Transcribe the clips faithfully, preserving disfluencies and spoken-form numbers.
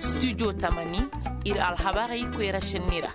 Studio tamani, ir alhabarey koyra šenni ra.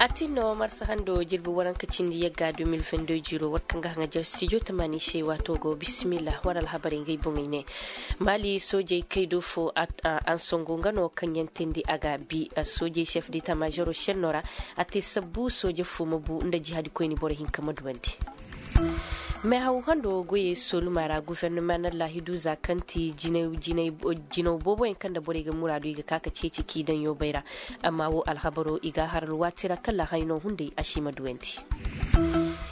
A tin no marsa hando jirbi waranka cindi yagga deux mille vingt-deux jiro war kaŋ ga haŋa jar studio tamani se waato go bisimilla war alhabarey ngey boŋey ne. Mali soojey kaydo fo ansongo nga no kaŋ yaŋ teendi a ga bi soojey chef d'état majoro senno ra. A te sabbu sooje fo ma bu nda jihadi koyni boro hinka ma duwandi. Mehaw hando goyey soluma ra gufernama na laahidu za kaŋ ti jinaw booboyaŋ kaŋ nda borey ga muraadu i ga ka ka ceeci k'i daŋ yoobay ra. Amma wo alhabaro i ga a har alwaati ra kala hayno hunday a si ma duwandi.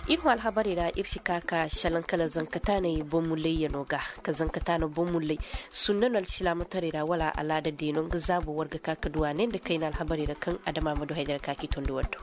Ir hõ alhabarey ra ir si ka ka šalaŋ kala zankataaney boŋ mullayyano ga ka zankataana boŋ mullay sunna no alsilaamataray ra wala alaada deeno nga zaabo war ga ka ka du a ne nda kayna alhabarey ra kaŋ adama ma du haydara ka k'i tondi war do.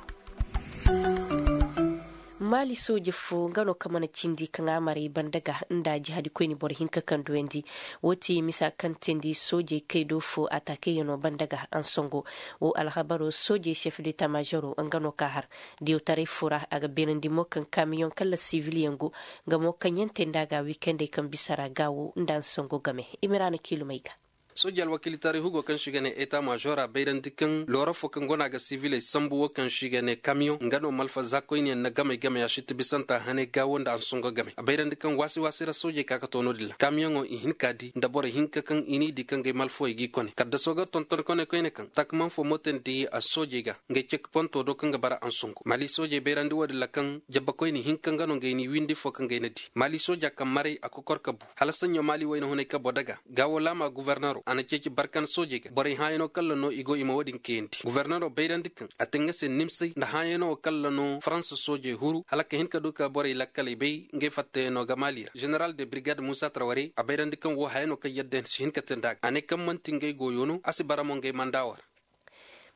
Maali sooje fo nga no kaŋ mana cindi kaŋ a maray banda ga nda jihadi koyni boro hinka kaŋ duyandi. Wo ti misa kaŋ teendi soojey kaydo fo ataakeyano banda ga ansongo. Wo alhabaro soojey sef de tamazoro nga no ka har diyawtaray fo ra a ga beenandi mo kaŋ kamiyoŋ kala sivilyaŋ go. Nga mo kaŋ yaŋ te nda a ga wiikendey kaŋ bisa ra gaawo nda ansongo game. Imiraana kiilumey ga. Soojey alwakiilitaray hugo kaŋ se i ga ne eta maazora bayrandi kaŋ loora fo kaŋ go no a ga siviley sambu wo kaŋ se i ga ne kamiyoŋ nga no malfa za koyniyaŋ na gamey gamey a sitti bisanta haney gaawo nda ansongo gamey a bayrandi kaŋ waasi waasi ra soojey ka ka to no-din ra kamiyoŋo i hin ka di nda boro hinka kaŋ i n'i di kaŋ gay malfawey g'i kone kaddaso ga tonton kone koyne kaŋ takman fo mootandi a soojey ga. Ngey cek ponto do kaŋ ga bara ansongo maali soojey bayrandi wo-din ra kaŋ jabba koyne hinka nga no ngey n'i windi fo kaŋ gay na di maali sooja kaŋ maray a kokor ka bu hala saɲɲo maali wayna hunay kabo daga. Gaawo laama gufarnaro a na ceeci barkan soojey ga borey hãayano kalla no i go i ma wo-din kayandi gufarnaro bayrandi kaŋ a te nga se nimsay nda hãayano wo kalla no faransa soojey huru hala ka hin ka du ka borey lakkaley bay ngey fattayano ga maali ra ženeral de brigade muusa tarwarey a bayrandi kaŋ wo hãayano kaŋ yadda si hin ka te nda a ga a ne kaŋ man'ti ngey goyo no a si bara mo ngey manda wo ra.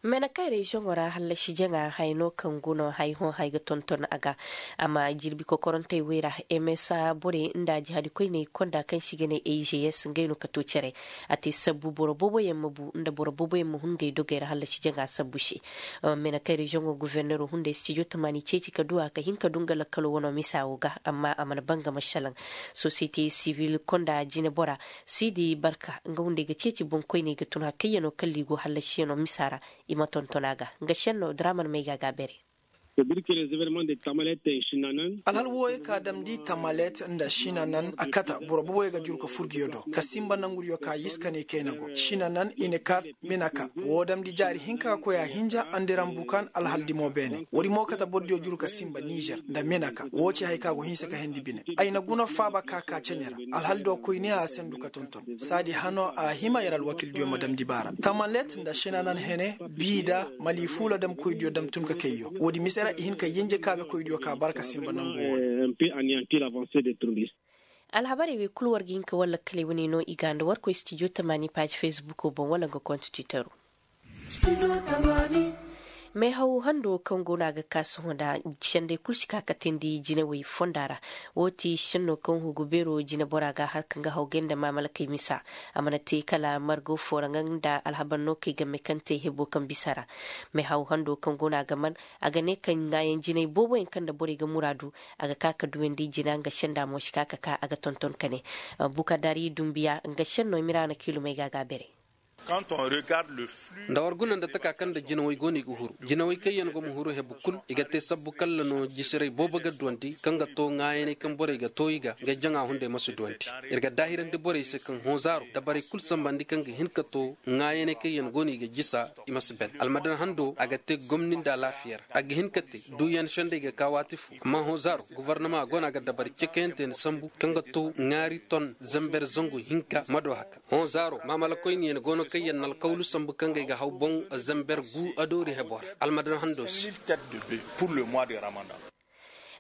Menakay reziyoŋo ra hallasi jaŋa haya no kaŋ go no haya hõ haya ga tonton a ga. Amma jirbi kokorantey wey ra msa borey nda jihadi koyney konda kaŋ se i ga ne a g s ngey no ka to care. A te sabbu boro booboyaŋ ma bu nda boro booboyaŋ ma hun ngey dogey ra hallasi jaŋa sabbu se. Menakay reziyoŋo gufornero hunday stijo tamaani ceeci ka du a ka hin ka du nga lakkalo wano misa wo ga amma a mana banga ma salaŋ. Sosiyete sivil konda jinebora siidi barka nga hunday ga ceeci boŋkoyney ga tun hakayyanoo kalli go hallasiyano misa ra. I ma tonton a ga nga senno draman may ga a ga a bere. Alhal wooyo ka damndi tamalet nda sinanan a kata boro boboyo ga juru ka furgiyo do ka sinba nangudiyo ka yiska ne kayna go sinanan i na ka minaka woo damndi jaari hinka ka koy a hinja andiran bukan alhal dimo beene woodi mo kata bordiyo juru ka sinba nizer nda minaka woo ci haya ka go hinsa ka hendi bine. Ay na guna faaba ka ka ceɲe ra alhal do koy ne a sendu ka tonton saadi hano a hima yer alwakildiyo ma damndi baara tamalet nda sinanan hene biida mali fuula damkoydiyo dam tun ka kayyo woodi mise ra i hin ka yenje kaabekoydiyo ka bara ka sinba nangu wooyo. Alhabarey wey kul war ga hin ka war lakkaley wane no i ga nda war koy stijo tamaani paaji fesbuko boŋ wala nga kont twitero. Meehaw hando kaŋ go no a ga ka sohõ nda sendey kul si ka ka teendi jinawey fonda ra. Woo ti senno kaŋ hugu beero jinebora ga har kaŋ ga hawgay nda maamalakey misa. A mana te kala margo fooraŋ nda alhabar no kay game kaŋ te hebo kaŋ bisa ra. Meehaw hando kaŋ go no a ga man a ga ne kaŋ ŋaayaŋ jinay booboyaŋ kaŋ nda borey ga muraadu. A ga ka ka duwandi jina nga senda mo si ka ka ka a ga tonton ka ne. Bukadari dumbiya nga senno miraana kiilumey ga a ga a bere. Nda war guna nda taka kaŋ nda jinawey go no i ga huru jinawey kaŋ yaŋ go ma huru hebu kul i ga te sabbu kalla no jisiray boobo ga duwandi kaŋ ga to ŋaayaney kaŋ borey ga to i ga nga jaŋa hunday ma si duwandi. Ir ga daahirandi borey se kaŋ hõzaaro dabarey kul sambandi kaŋ ga hin ka to ŋaayaney kaŋ yaŋ go no i ga jisa. I ma si ben almadan hando a ga te gomni nda alaafiya ra a ga hin ka te duuyan sendey ga ka waati fo amma hõzaaro gofornama go no a ga dabari cekayante ni sambu kaŋ ga to ŋaari ton zamber zangu hinka ma do haka. Hõ zaaro maamalakoyniyaŋ go no kaŋ yaŋ na alkawlu sambu kaŋ ga ay ga haw boŋ zamber gu adoori hebo ra almadan hando se.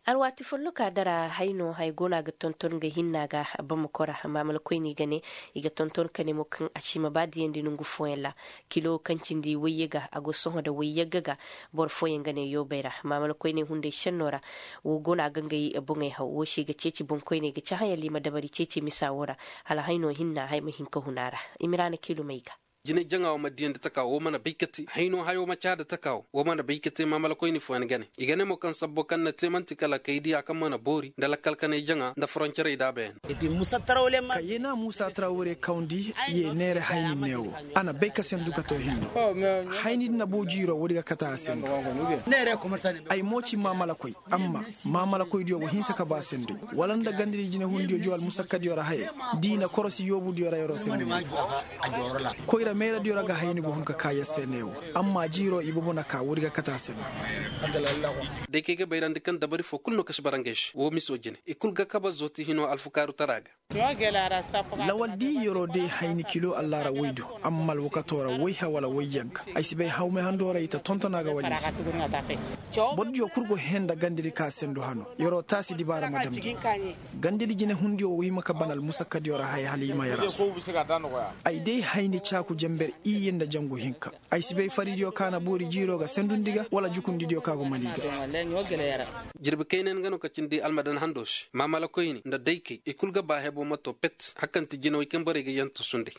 Alwaati folloka dara hay no hay go no a ga tonton ga hinna ga bamako ra maamalakoyni ga ne. I ga tonton ka ne mo kaŋ a si ma ba diyandi nongu fooyaŋ ra kilo kaŋ cindi wayye ga a go sohõ nda wayyagga ga. Boro fooyaŋ ga ne yoobay ra maamalakoyney hunday senno ra. Wo go no a ga ngey boŋey haw wo se ga ceeci boŋkoyney ga cahã yalla i ma dabari ceeci misa wo ra. Hala hay no hinna hay ma hin ka hun a ra. I ma ra na kiilumey ga. Jinay jaŋa wo ma diyandi taka wo mana bay ka te hayno hayo ma caada taka wo wo mana bay ka te maamalakoyni fooyaŋ gane. I ga ne mo kaŋ sabbo kaŋ na te man'ti kala kay diya kaŋ mana boori nda lakkal kanay jaŋa nda foroncerey daabayaŋ. Ka ye na muusa tarawre kawndi ye neere hayni neewo. A na bay ka sendu ka to hinno hayni din na boo jiiro woodi ga kate a sendu. Ay mo ci maamalakoy amma maamalakoydiyo go hinsa ka ba senduy wala nda gandadi jinehundiyo jo almusakkadiyo ra hayey. D'i na korosi yoobudiyo ra yer'o sendundi. Koyra meeradiyo ra ga hayni go hun ka ka yer se neewo. Amma jiiro ibobo na ka woodi ga kate a sendu. Day kaŋ ay ga bayrandi kaŋ dabari foo kul no ka si bara ngey se woo miso jine i kul ga kabe zooti hinoo alfukaarutara ga. Lawal di yeroo day hayni kilo allaara woy do. Amma alwakatoo ra woyha wala woy yagga ay si bay hawmay handoo ra i ta tonton a ga wala i se. Bordiyo kul go hee nda gandedi ka sendu hano yeroo taasi dibaara ma damndi. Gandedi jinehundiyo wo hima ka ban almusakkadiyo ra haya hala i ma yer a su. Ay day hayni caaku jenber iyye nda jangu hinka. Ay si bay faridiyo ka na boori jiiroo ga sendundi ga wala jukundidiyo ka go mali ga. Jirbi kayna nga no ka cindi almadan handoo se maamalakoyni nda daykey i kul ga ba heboo ma too pet hala kaŋ ti jinawey kaŋ borey ga yantu sunday.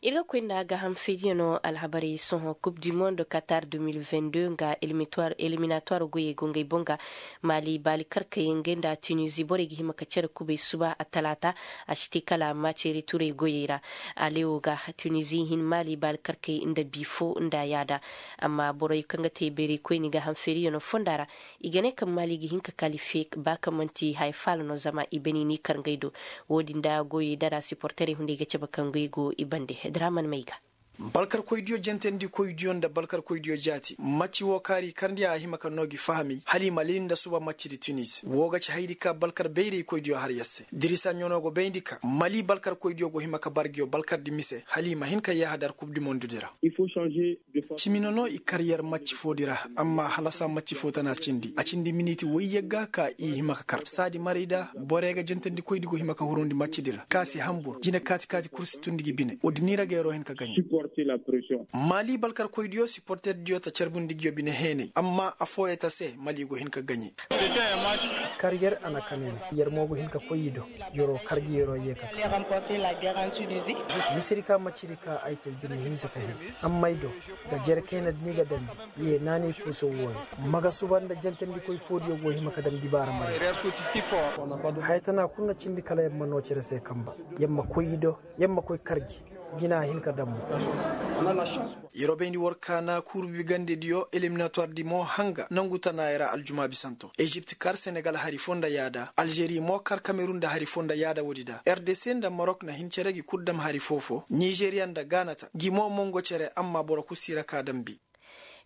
Ir ga koy nda gaaham feeriyaŋo alhabarey sohõ kub di mondo katar de mil vingt deux nga eliminatwar goyey go ngey boŋ ga. Maali baali karkey ngey nda tunizi borey ga hima ka cere kubey suba attalaata. A si te kala maceeri turey goyey ra. Alewo ga tunizi hin maali baali karkey nda bi fo nda yaada. Amma borey kaŋ ga te bayraykoyni gaaham feeriyaŋo fonda ra i ga ne kaŋ maali ga hin ka kalife ba kaŋ man'ti haya faala no zama i bani n'i kar ngey do. Wo-din da goyey dara siporterey hunday ga cabe kaŋ ngey go i bande. Draman may ga. Balkarkoydiyo jantandikoydiyo nda balkarkoydiyo jaati macci woo kaari karndi a hima ka noo gi fahamay hala i ma lili nda suba maccidi tunis woo ga ci hayadi ka balkar bayraykoydiyo har yer se dirisa ɲanoo go bayndi ka mali balkarkoydiyo go hima ka bar ngiyo balkardi mise hala i ma hin ka yaaha dar kub di mondudi ra. Cimi no no i kar yer macci foodi ra. Amma halasa macci foo tana cindi a cindi miniti woy yagga ka i hima ka kar saadi maray da borey ga jantandikoydi go hima ka hurundi maccidi ra ka si hambur jine kaati kaati kul si tundi gi bine woodi ni ra ga yeroo hin ka gaɲe. Maali balkarkoydiyo siporterdiyo ta carbundi ngiyo bine heenay amma afooyey ta se mali go hin ka gaɲe. Kar yer a na kanay no yer mo go hin ka koy i do. Yeroo kar gi yeroo yee ka kar. Misedi ka maccidi ka ay te bine hinsa ka hee. Amma ay do ga jere kayna da ni ga damndi. Ye naanay kuuso wooyo ma ga suba nda jantandikoy foodiyo go hima ka dam dibaara maray. Haya tana kul na cindi kala yer ma noo cere se kamba. Yer ma koy i do yer ma koy kar gi. Jina hin ka dam mo. Yeroo bayndi war kaana kurbi gandediyo eliminatwar di mo hanga nangu tanaayey ra aljuma bisanto ezipt kar senegal hari foo nda yaada alžeri mo kar kamerun nda hari foo nda yaada woodi da rdc nda marok na hin cere gi kul dam hari foo-foo nizeriya nda gaana ta gi mo mongo cere amma boro kul si ra ka dambi.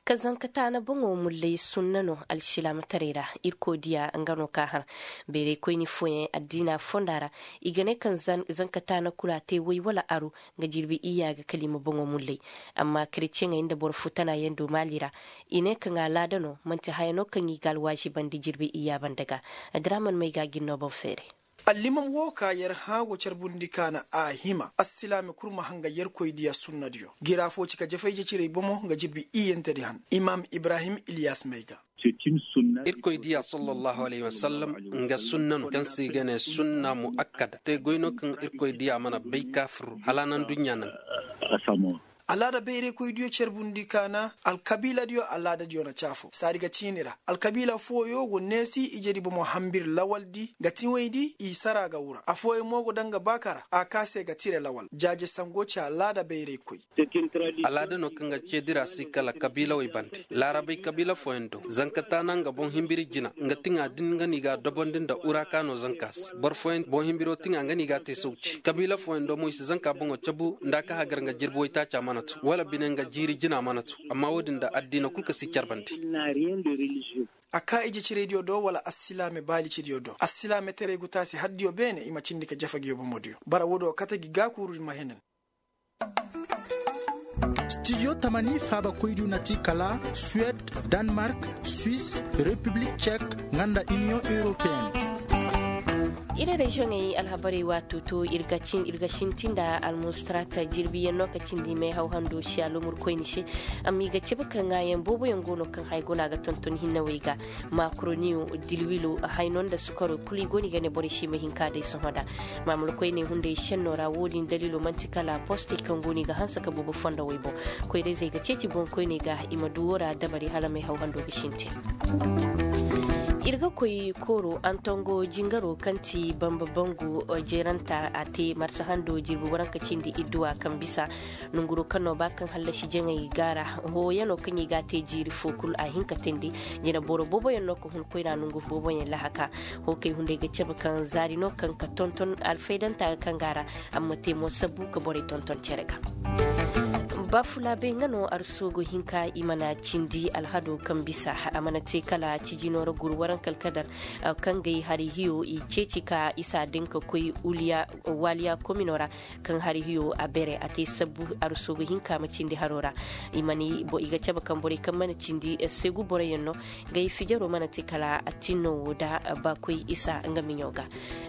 Ka zanka taana boŋo mullay sunna no alsilaamataray ra. Irkoy diya nga no ka har bayraykoyni fooyaŋ addiina fonda ra. I ga ne kaŋ zanka taana kula te way wala aru nga jirbi iyya ga kala i ma boŋo mullay. Amma kareceŋey nda boro foo tana yaŋ do maali ra i ne kaŋ alaada no man'ti haya no kaŋ i ga alwaazibandi jirbi iyya banda ga. Adraaman may ga a ga ir no boŋ feeray. Allimam woo ka yer hã go carbundi ka na a hima assilaame kul ma hanga yerkoy diya sunnadiyo. Gira foo ci ka jafay jecirey bomo nga jirbi iyyantedi han. Imaam ibrahim ilyas may ga. Irkoy diya sallallahu alayhi wasallam nga sunna no kaŋ se i ga ne sunna mu'akkada te goy no kaŋ irkoy diya mana bay kaafir hala nanduɲɲa naŋ. Alaada bayraykoydiyo carbundi ka na alkabiiladiyo alaadadiyo na ci afo saadi ga ciini ra. Alkabiila fooyo go neesi ijedi bomo hambir lawaldi nga tiŋwaydi i sara ga wura afooyaŋ mo go daŋ ga baaka ra a ka se ga tire lawal jaaje sango ci alaada bayraykoy. Alaada no kaŋ ga ceedi ra si kala kabiilawey bande laarabey kabiila fooyaŋ do zanka taana nga boŋ himbiri jina nga tiŋa din nga no i ga a dobondi nda ura ka no zanka se boro fooyaŋ boŋ himbiro tiŋa nga no i ga a te sawci kabiila fooyaŋ do mo i si zanka boŋo cabu nda a ka hagar nga jirbi waytaaca mana tu wala bine nga jiiri jina mana tu. Amma wo-din nda addiina kul ka si carbandi. A ka ije ciraydiyo do wala assilaame baalicediyo do assilaametaray go taasi haddiyo beene i ma cindi ka jafa ngiyo bomodiyo bara wo-do kate gi gaakuurudi ma henen. Stidiyo tamani faabakoydiyo na ti kala suwed, danmark, swis, repiblik cek nga nda iniyoŋ europeyenne. Ir reziyoŋey alhabarey waato to ir ga sintin nda almustarata jirbiyaŋ no ka cindi may haw hando si alumur koyni se. Amma i ga cabe ka ŋaayaŋ booboyaŋ go no kaŋ haya go no a ga tonton hinnawey ga. Makroniyo, dilwilo, hayno nda sukaro kulu i go no i ga ne borey se i ma hin ka day sohõ nda. Maamul koyney hunday senno ra wo-din daliilo man'ti kala postey kaŋ go no i ga hanse ka boobo fondowey boŋ. Koyra-izey ga ceeci boŋkoyney ga i ma du wo ra dabari hala may haw hando ga sintin. Ir ga koy kooro antongo jingaro kaŋ ti bamba bangu jeranta a te marsa hando jirbi waranka cindi idduwa kaŋ bisa. Nonguro kaŋ no ba kaŋ hallasi jaŋay gaara hooyano kaŋ i ga a te jiiri fo kulu a hin ka teendi. Jina boro booboyaŋ no ka hun koyra nongu booboyaŋ lahaka. Hookey hunday ga cabe kaŋ zaari no kaŋ ka tonton alfaydanta ga kaŋ gaara. Amma te mo sabbu ka borey tonton cere ga. Bafulaabey nga no arsugo hinka i mana cindi alhado kaŋ bisa a mana te kala cijino ra guru waranka alkadar. Kaŋ gay hari hiyo i ceeci ka isa din ka koy waaliya komino ra. Kaŋ hari hiyo a bere a te sabbu arsugo hinka ma cindi haro ra. I ga cabe kaŋ borey kaŋ mana cindi segu boroyaŋ no. Gay fijaro mana te kala a tinno wo da ba koy isa nga miɲo ga.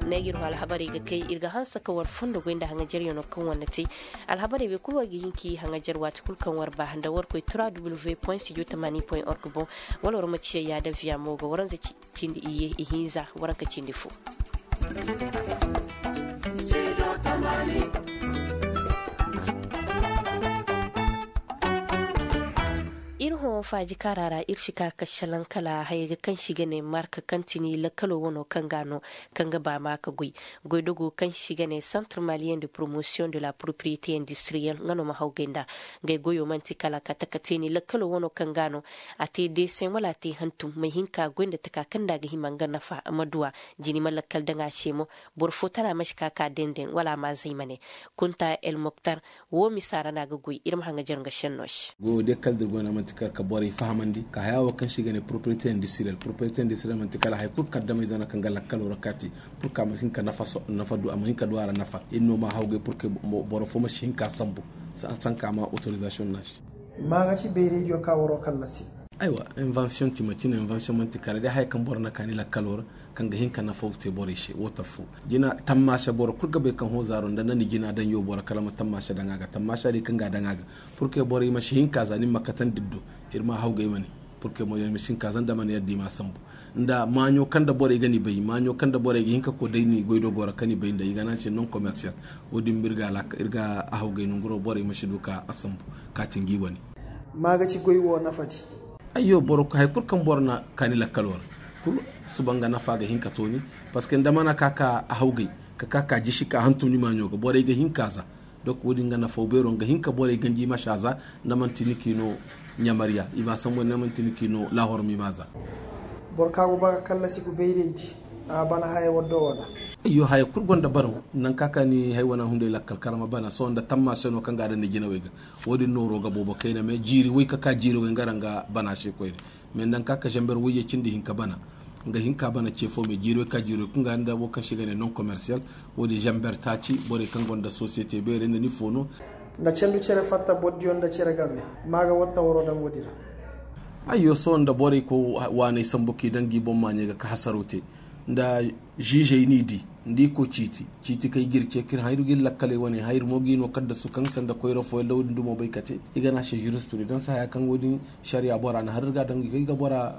Ne ir ho alhabarey ga kay ir ga hanse ka war fondo goy nda haŋajaryaŋo kaŋ war na te. Alhabarey wey kulu war ga hin ka i haŋajar waati kulu kaŋ war ba nda war koy trois w point studio tamani point org boŋ. Wala war ma ciya yaada viya mo ga waranza cindi iyye ihinza waranka cindi fo. Ir hõ faaji kaara ra ir si ka ka salaŋ kala haya ga kaŋ si ga ne marka kaŋ ti ni lakkalo wano kaŋ ga no kaŋ ga ba ma ka goy. Goydogo kaŋ si ga ne centre malien de promotion de la propriété industrielle nga no ma hawgay nda. Ngey goyo man'ti kala ka taka te ni lakkalo wano kaŋ ga no a te deeseŋ wala a te hantum ma hin ka goy nda taka kaŋ nda a ga hima nga nafa ma duwa. Jini ma lakkal daŋ a se mo. Boro fo tara ma si ka ka dendeŋ wala a ma zay ma ne. Kunta el moktar wo misa ra no a ga goy ir ma haŋajar nga senno se. Goyo day kala da ir goy no man'ti kala ka borey fahamandi ka haya wo kaŋ se i ga ne propriété industrielle propriété industrielle man'ti kala hari kulu kaŋ damayze no kaŋ ga lakkalo ra ka te. Pur ka a ma hin ka nafa du a ma hin ka du a ra nafa ir no ma hawgay pur ka boro fo ma si hin ka sambu. Sanka a ma autorisation no a se. Maaga ci bayraydiyo ka waroo kallasi. Aywa, invention ti macine invention man'ti kala day haya kaŋ boro na kaani lakkalo ra. Kaŋ ga hin ka nafaw te borey se wo taffo. Jina tammaasa boro kul ga bay kaŋ hõ zaaro nda na ni jina daŋ yoo boro kala ma tammaasa daŋ a ga tammaasa day kaŋ ga a daŋ a ga. Pur ke borey ma si hin ka za ni ma katandi ir do. Ir ma hawgay ma ne. Pur ke mo ir ma si hin ka za nda ma ne yadda i ma sambu. Nda maaɲo kaŋ nda borey ga ni bay maaɲo kaŋ nda borey ga hin ka koy day ni goy do boro kaŋ i bay nda i ga ne a se non commercial. Wo- din ma ir ga a hawgay nonguro borey ma si du ka a sambu. Ka ti ngi wane. Maaga ci goy wo nafadi. Ayyo boro hay kulu kaŋ boro na kaani lakkalo ra. Kulu suba nga nafa ga hin ka tooni. Parceque nda mana ka ka a hawgay ka ka ka jisi ka hantum ni maaɲo ga borey ga hin ka za. Donk wo- din nga nafaw beero nga hin ka borey ganji i ma si a za. Nda man'ti ni k'i no ɲamariya i ma a sambu nda man'ti ni k'i no laahorma i ma a za. Boro ka go ba ga kallasi ga bayraydi. A bana haya waddo wana. Ayyo haya kulu gonda bana. Nanka ka ni hay wana hunday lakkal karama bana sohõ nda tammaasa no kaŋ ga a daŋ ni jinawey ga. Wo- din nooro ga boobo kayna mais jiiri way ka ka jiiri way nga ra nga bana se koyne. Mais nda nga ka ka zamber wayye cindi hinka bana. Nga hinka bana ce fo mais jiiri way ka jiiri way kulu nga nda wo kaŋ se i ga ne non commercial. Wo- din zamber taaci borey kaŋ gonda société beerey nda ni fo no. Nda cendu cere fatta bordiyo nda cere game. Ma ga watta waro daŋ wo- din ra. Ayyo sohõ nda borey koy waaney sambu k'i daŋ gi boŋ maaɲey ga ka hasaro te. Nda ziizey n'i di. Nda i koy ciiti ciiti kay ga ir ce ka ir haŋ ir ga ir lakkaley wane haŋ ir mo g'i no kaddasu kaŋ sanda koyra fooyaŋ da wo- din dumo bay ka te. I ga ne a se jurisprudence haya kaŋ wo- din sariya bora na har ir ga a daŋ i ga bora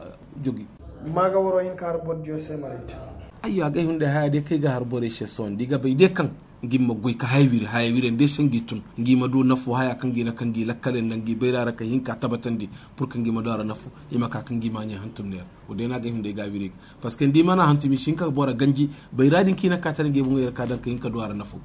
jogi. Ma ga waro hin ka har bordiyo se maray te. Ayyo agay hunday haya day kaŋ i ga har borey se sohõ nda i ga bay day kaŋ ngi ma goy ka haya wiri haya wiri nda ay se ngi tun ngi ma du nafo haya kaŋ ngi na kaŋ ngi lakkaley nda ngi bayra ra ka hin ka tabatandi. Pur ka ngi ma du a ra nafo i ma ka kaŋ ngi maaɲey hantum neera. Wo- day no agay hunday ga a wiri ga. Parceque nda i mana hantum i si hin ka bora ganji bayra din kaŋ i na ka tara ngi boŋey ra ka daŋ ka hin ka du a ra nafo.